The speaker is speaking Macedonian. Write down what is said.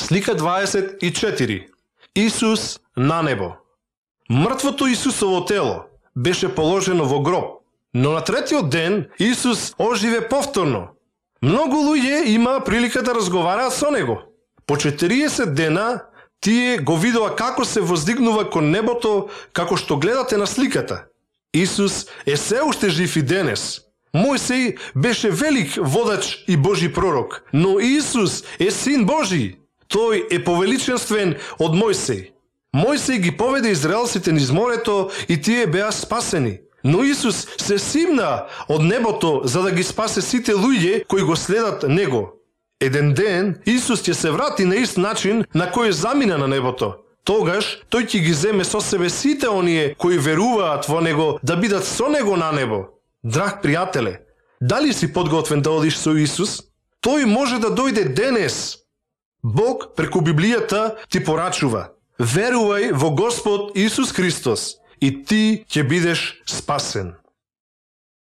Слика 24. Исус на небо. Мртвото Исусово тело беше положено во гроб, но на третиот ден Исус оживе повторно. Многу луѓе има прилика да разговараат со него. По 40 дена тие го видува како се воздигнува кон небото, како што гледате на сликата. Исус е се уште жив и денес. Мојсей беше велик водач и Божи пророк, но Исус е Син Божи. Тој е повеличенствен од Мојсей. Мојсей ги поведе израелците низ морето и тие беа спасени. Но Исус се симна од небото за да ги спасе сите луѓе кои го следат него. Еден ден Исус ќе се врати на ист начин на кој замина на небото. Тогаш тој ќе ги земе со себе сите оние кои веруваат во него да бидат со него на небо. Драг пријателе, дали си подготвен да одиш со Исус? Тој може да дојде денес. Бог преку Библијата ти порачува: верувај во Господ Исус Христос и ти ќе бидеш спасен.